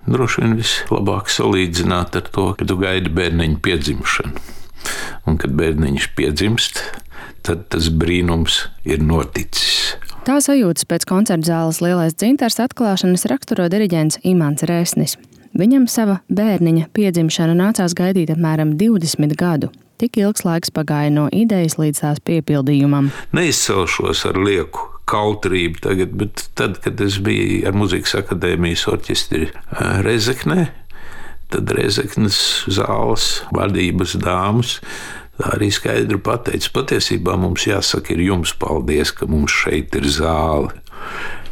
droši vien vislabāk salīdzināt ar to, ka tu gaidi bērniņu piedzimšanu. Un, kad bērniņš piedzimst, tad tas brīnums ir noticis. Tā sajūtas pēc koncerta zāles Lielais dzintars atklāšanas raksturo diriģents Imants Resnis. Viņam sava bērniņa piedzimšana nācās gaidīt apmēram 20 gadu. Tik ilgs laiks pagāja no idejas līdz tās piepildījumam. Neizcelšos ar lieku kautrību tagad, bet tad, kad es biju ar Mūzikas akadēmijas orķestri Rezeknē, tad Rezeknes zāles vadības dāmas arī skaidri pateica, patiesībā mums jāsaka ir jums paldies, ka mums šeit ir zāle.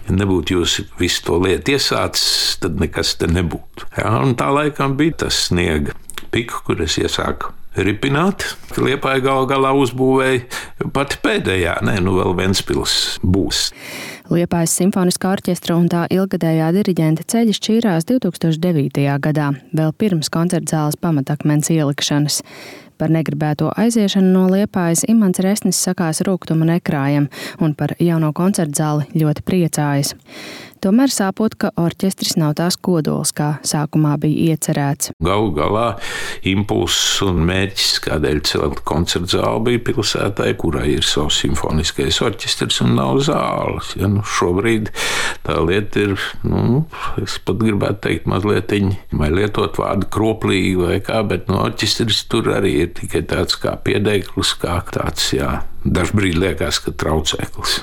Ja nebūtu jūs visu to lietu iesācis, tad nekas te nebūtu. Jā, un tā laikam bija tas sniega piku, kur es iesāku ripināt. Liepāja gal galā uzbūvēja pati pēdējā, vēl Ventspils būs. Liepājas simfoniskā orķestra un tā ilgadējā diriģenta ceļi šķīrās 2009. gadā, vēl pirms koncerta zāles pamatakmens ielikšanas. Par negribēto aiziešanu no Liepājas Imants Resnis sakās rūgtuma nekrājam un par jauno koncerta zāli ļoti priecājas. Tomēr sāpot, ka orķestris nav tās kodols, kā sākumā bija iecerēts. Galu galā impulss un mērķis, kādēļ celt koncerta zāli, bija pilsētai, kurai ir savs simfoniskais orķestris un nav zāles. Ja, šobrīd tā lieta ir, es pat gribētu teikt mazlietiņ, vai lietot vārdu kroplīgi vai kā, bet orķestris tur arī ir tikai tāds kā piedēklis, kā tāds, dažbrīd liekas, ka traucēklis.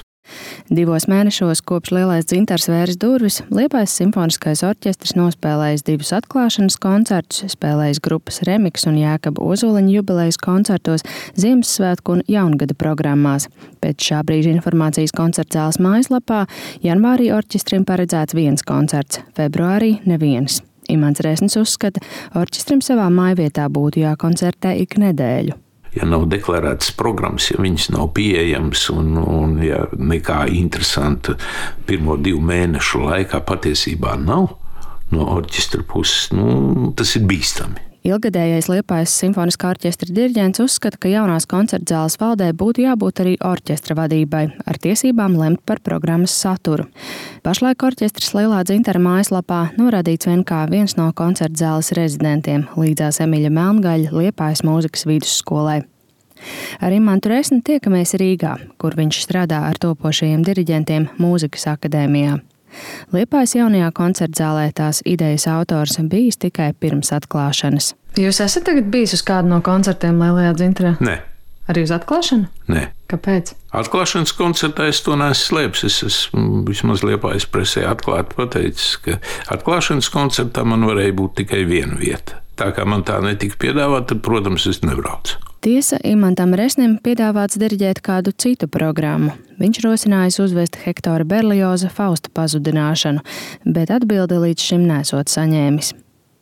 2 mēnešos kopš Lielais dzintars vēris durvis, Liepājas simfoniskais orķestris nospēlējis 2 atklāšanas koncertus, spēlējis grupas Remiks un Jākaba Ozoliņa jubilejas koncertos, Ziemassvētku un Jaungada programmās. Pēc šā brīža informācijas koncerta zāles mājaslapā janvārī orķestrim paredzēts 1 koncerts, februārī neviens. Imants Resnis uzskata, orķestrim savā mājvietā būtu jākoncertē ik nedēļu. Ja nav deklarētas programmas, ja viņas nav pieejamas un ja nekā interesanta pirmo 2 mēnešu laikā patiesībā nav no orķestra puses, tas ir bīstami. Ilgadējais Liepājas simfoniskā orķestra diriģents uzskata, ka jaunās koncerta zāles valdē būtu jābūt arī orķestra vadībai, ar tiesībām lemt par programmas saturu. Pašlaik orķestris Lielā dzintara mājaslapā norādīts vien kā viens no koncerta zāles rezidentiem, līdzās Emiļa Melngaļa Liepājas mūzikas vidusskolai. Ar Imantu Resni tiekamies Rīgā, kur viņš strādā ar topošajiem diriģentiem Mūzikas akadēmijā. Liepājas jaunajā koncerta zālē tās idejas autors bijis tikai pirms atklāšanas. Jūs esat tagad bijis uz kādu no koncertiem Lielajā dzintarā? Nē. Arī uz atklāšanu? Nē. Kāpēc? Atklāšanas koncertā es to neesmu slēpis. Es esmu vismaz Liepājas presē atklāti pateicis, ka atklāšanas koncertā man varēja būt tikai viena vieta. Tā kā man tā netika piedāvāta, tad, protams, es nebraucu. Tiesa, Imantam Resnim piedāvāts diriģēt kādu citu programmu. Viņš rosinājis uzvest Hektora Berlioza Fausta pazudināšanu, bet atbildi līdz šim nesot saņēmis.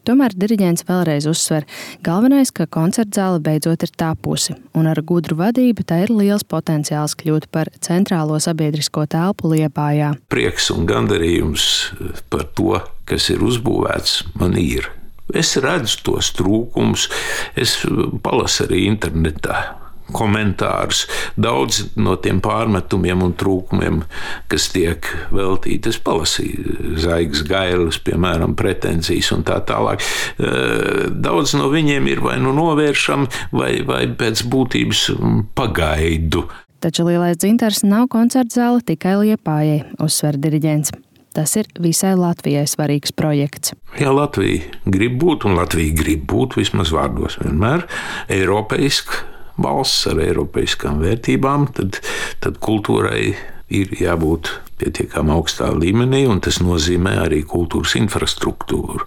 Tomēr diriģents vēlreiz uzsver, galvenais, ka koncerta zāle beidzot ir tapusi, un ar gudru vadību tā ir liels potenciāls kļūt par centrālo sabiedrisko telpu Liepājā. Prieks un gandarījums par to, kas ir uzbūvēts, man ir. Es redzu tos trūkumus, es palasu arī internetā komentārus. Daudz no tiem pārmetumiem un trūkumiem, kas tiek veltīti, es palasīju Zaigas Gailes, piemēram, pretenzijas un tā tālāk. Daudz no viņiem ir vai novēršami, vai pēc būtības pagaidu. Taču Lielais dzintars nav koncerta zāle tikai Liepājai, uzsver diriģents. Tas ir visai Latvijai svarīgs projekts. Ja Latvija grib būt, un Latvija grib būt vismaz vārdos vienmēr eiropeiska valsts ar eiropeiskām vērtībām, tad kultūrai ir jābūt pietiekami augstā līmenī, un tas nozīmē arī kultūras infrastruktūru.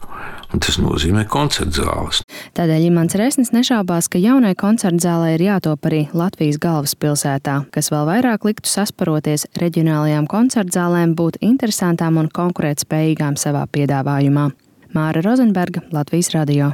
Un tas nozīmē koncerta zāles. Tādēļ Imants Resnis nešaubās, ka jaunai koncerta zālē ir jātop arī Latvijas galvaspilsētā, kas vēl vairāk liktu sasparoties reģionālajām koncerta zālēm būt interesantām un konkurētspējīgām savā piedāvājumā. Māra Rozenberga, Latvijas radio.